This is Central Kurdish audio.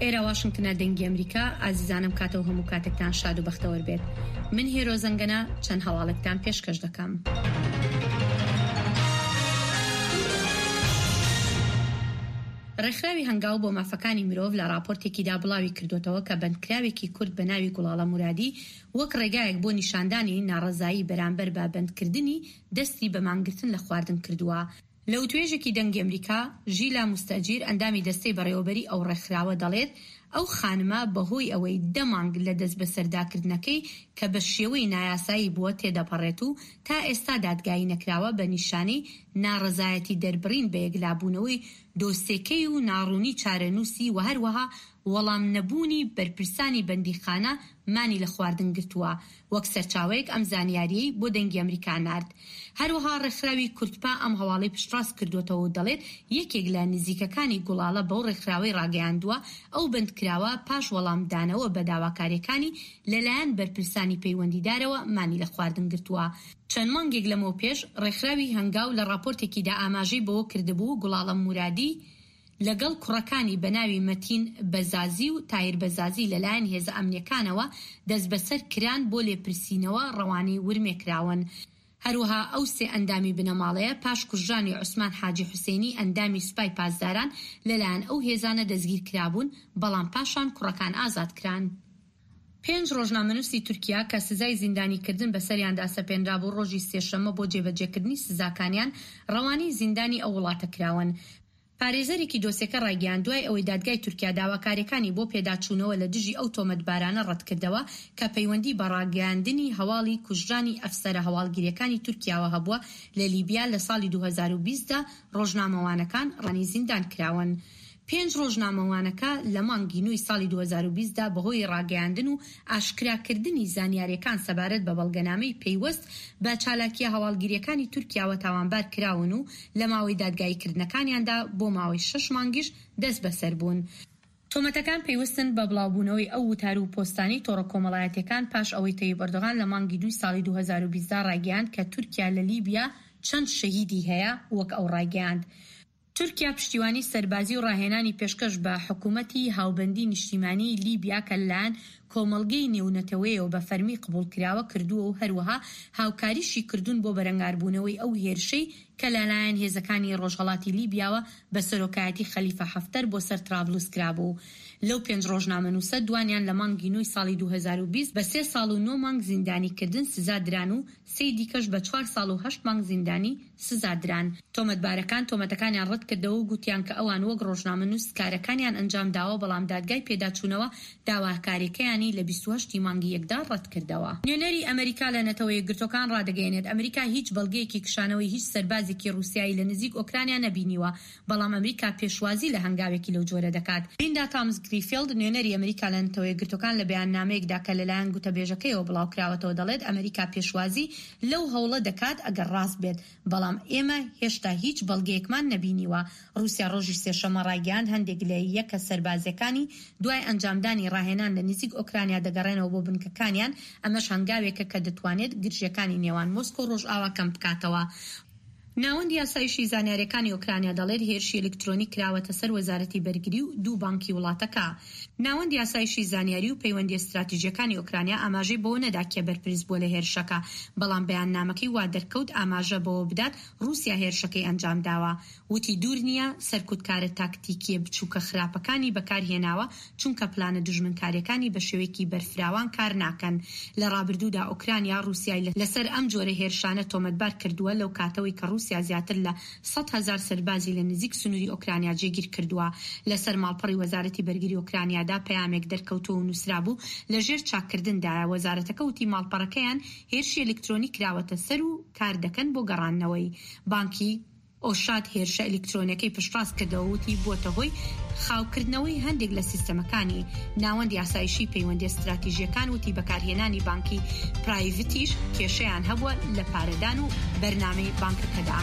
ئێرە واشنگتنە دەنگی ئەمریکا، ئازیزانم کاتەو هەموو کاتێکتان شاد و بەختەوەر بێت. من هێرۆ زەنگەنە چەند هەواڵێکتان پێشکەش دەکەم. ڕێکخراوی هەنگاو بۆ مافەکانی مرۆڤ لە ڕاپۆرتێکیدا بڵاوی کردۆتەوە کە بەندکراوێکی کورد بە ناوی گوڵاڵە مورادی وەک ڕێگایەک بۆ نیشاندانی ناڕەزایی بەرامبەر بە بەندکردنی دەستی بە مانگرتن لە خواردن کردووە. لە وتوێژێکی دەنگی ئەمریکا، ژیلا موستەجیر ئەندامی دەستەی بەڕێوەبەری ئەو ڕێکخراوە دەڵێت ئەو خانمە بەهۆی ئەوەی دە مانگ لە دەستبەسەرداکردنەکەی کە بە شێوەی نایاسایی بووە تێدەپەڕێت و تا ئێستا دادگایی نەکراوە بە نیشانەی ناڕەزایەتی دەربڕین بە یەکلابوونەوەی دۆسێکەی و ناڕوونی چارەنووسی و هەروەها وەڵام نەبوونی بەرپرسانی بەندیخانە مانی لە خواردن گرتووە، وەک سەرچاوەیەک ئەم زانیارییەی بۆ دەنگی ئەمریکا نارد. هەروەها ڕێکخراوی کوردپا ئەم هەواڵەی پشتڕاست کردووەتەوە و دەڵێت یەکێک لە نزیکەکانی گوڵاڵە بەو ڕێکخراوەی ڕاگەیاندووە ئەو بەندکراوە پاش وەڵامدانەوە بە داواکارییەکانی لەلایەن بەرپرسانی پەیوەندیدارەوە مانی لە خواردن گرتووە. چەند مانگێک لەمەوپێش ڕێکخراوی هەنگاو لە ڕاپۆرتێکیدا ئاماژەی بەوە کردبوو گوڵاڵە مورادی لەگەڵ کوڕەکانی بە ناوی مەتین بەزازی و تاهیر بەزازی لەلایەن هێزە ئەمنییەکانەوە دەستبەسەر کران بۆ لێپرسینەوە ڕەوانەی ورمێ کراون. هەروەها ئەو سێ ئەندامی بنەماڵەیە پاش کوژرانی عوسمان حاجی حوسێنی ئەندامی سوپای پاسداران لەلایەن ئەو هێزانە دەستگیر کرابوون، بەڵام پاشان کوڕەکان ئازاد کران. پێنج ڕۆژنامەنووسی تورکیا کە سزای زیندانیکردن بەسەریاندا سەپێنرابوو ڕۆژی سێشەممە بۆ جێبەجێکردنی سزاکانیان ڕەوانەی زیندانی ئەو وڵاتە کراون. پارێزەرێکی دۆسێکە ڕایگەیاند، دوای ئەوەی دادگای تورکیا داواکارییەکانی بۆ پێداچوونەوە لە دژی ئەو تۆمەتبارانە ڕەتکردەوە کە پەیوەندی بە ڕاگەیاندنی هەواڵی کوژرانی ئەفسەرە هەواڵگرییەکانی تورکیاوە هەبووە لە لیبیا لە ساڵی 2020 دا ڕۆژنامەوانەکان ڕەوانەی زیندان کراون. پێنج ڕۆژنامەوانەکە لە مانگی نۆی ساڵی 2020 دا بەهۆی ڕاگەیاندن و ئاشکراکردنی زانیارییەکان سەبارەت بە بەڵگەنامەی پەیوەست بە چالاکییە هەواڵگرییەکانی تورکیاوە تاوانبار کراون و لە ماوەی دادگاییکردنەکانیاندا بۆ ماوەی شەش مانگیش دەستبەسەر بوون. تۆمەتەکان پەیوەستن بە بڵاوبوونەوەی ئەو وتار و پۆستانەی تۆڕە کۆمەڵایەتییەکان پاش ئەوەی تەیب ئەردۆغان لە مانگی دووی ساڵی 2020 دا ڕایگەیاند کە تورکیا لە لیبیا چەند شەهیدی هەیە وەک ئەو ڕایگەیاند تورکیا پشتیوانی سەربازی و ڕاهێنانی پێشکەش بە حکومەتی هاوبەندی نیشتیمانیی لیبیا کە لەلایەن کۆمەڵگەی نێونەتەوەیەوە بە فەرمی قبوڵکراوە کردووە و هەروەها هاوکاریشی کردوون بۆ بەرەنگاربوونەوەی ئەو هێرشەی کە لەلایەن هێزەکانی ڕۆژهەڵاتی لیبیاوە بە سەرۆکایەتی خەلیفە حەفتەر بۆ سەر ترابلوس کرابوو. لەو پێنج ڕۆژنامەنووسە دوانیان لە مانگی نۆی ساڵی 2020 بە سێ ساڵ و نۆ مانگ زیندانیکردن سزا دران و سێی دیکەش بە چوار ساڵ و هەشت مانگ زیندانی سزا دران. تۆمەتبارەکان تۆمەتەکانیان ڕەتکردەوە و گوتیان کە ئەوان وەک ڕۆژنامەنووس کارەکانیان ئەنجام داوە، بەڵام دادگای پێداچوونەوە داواکاریەکەیانی لە 28 ی مانگی یەکدا ڕەتکردەوە. نوێنەری ئەمەریکا لە نەتەوە یەکگرتووەکان ڕادەگەیەنێت، ئەمریکا هیچ بەڵگەیەکی کشانەوەی هیچ سەربازێکی ڕووسیایی لە نزیک ئۆکرانیا نەبینیوە، بەڵام ئەمریکا پێشوازی لە هەنگاوێکی لەو جۆرە دەکات. لیندا تامس گریفیڵد، نوێنەری ئەمریکا لە نەتەوە یەکگرتووەکان لە بەیاننامەیەکدا کە لەلایەن گوتەبێژەکەیەوە بڵاوکراوەتەوە دەڵێت، ئەمریکا پێشوازی لەو هەوڵە دەکات ئەگەر ڕاست بێت، بەڵام ئێمە هێشتا هیچ بەڵگەیەکمان نەبینیوە. ڕووسیا ڕۆژی سێشەممە ڕایگەیاند هەندێک لە یەکە سەربازییەکانی دوای ئەنجامدانی ڕاهێنان لە نزیک ئۆکرانیا دەگەڕێنەوە بۆ بنکەکانیان، ئەمەش هەنگاوێکە کە دەتوانێت گرژییەکانی نێوان مۆسکۆ و ڕۆژئاوا کەم بکاتەوە. ناوەندی ئاسایشی زانیارییەکانی ئۆکرانیا دەڵێت، هێرشی ئەلیکترۆنی کراوەتە سەر وەزارەتی بەرگری و دوو بانکی وڵاتەکە. ناوەندی ئاسایشی زانیاری و پەیوەندییە ستراتیژییەکانی ئۆکرانیا ئاماژەی بەوە نەدا کێ بەرپرس بووە لە هێرشەکە، بەڵام بەیاننامەکەی وا دەرکەوت ئاماژە بەوە بدات ڕووسیا هێرشەکەی ئەنجامداوە. وتی دوور نییە سەرکوتکارە تاکتیکییە بچووکە خراپەکانی بەکارهێناوە چونکە پلانە دوژمنکارییەکانی بە شێوەیەکی بەرفراوان کار ناکەن. لە ڕابردوودا ئۆکرانیا ڕووسیای لەسەر ئەم جۆرە هێرشانە تۆمەتبار کردووە لەو کاتەوەی کە ڕووسیا زیاتر لە 100,000 سەربازی لە نزیک سنووری ئۆکرانیا جێگیر کردووە. لەسەر ماڵپەڕی وەزارەتی بەرگری ئۆکرانیادا پەیامێک دەرکەوتووە و نووسرابوو لەژێر چاککردندایە. وەزارەتەکە وتی ماڵپەڕەکەیان هێرشی ئەلیکترۆنی کراوەتە سەر و کار دەکەن بۆ گەڕاندنەوەی. بانکی ئۆشاد هێرشە ئەلیکترۆنیەکەی پشتڕاست کردەوە وتی بووەتە هۆی خاوکردنەوەی هەندێک لە سیستەمەکانی. ناوەندی ئاسایشی پەیوەندیە ستراتیژیەکان وتی بەکارهێنانی بانکی پرایڤتیش کێشەیان هەبووە لە پارەدان و بەرنامەی بانکەکەدا.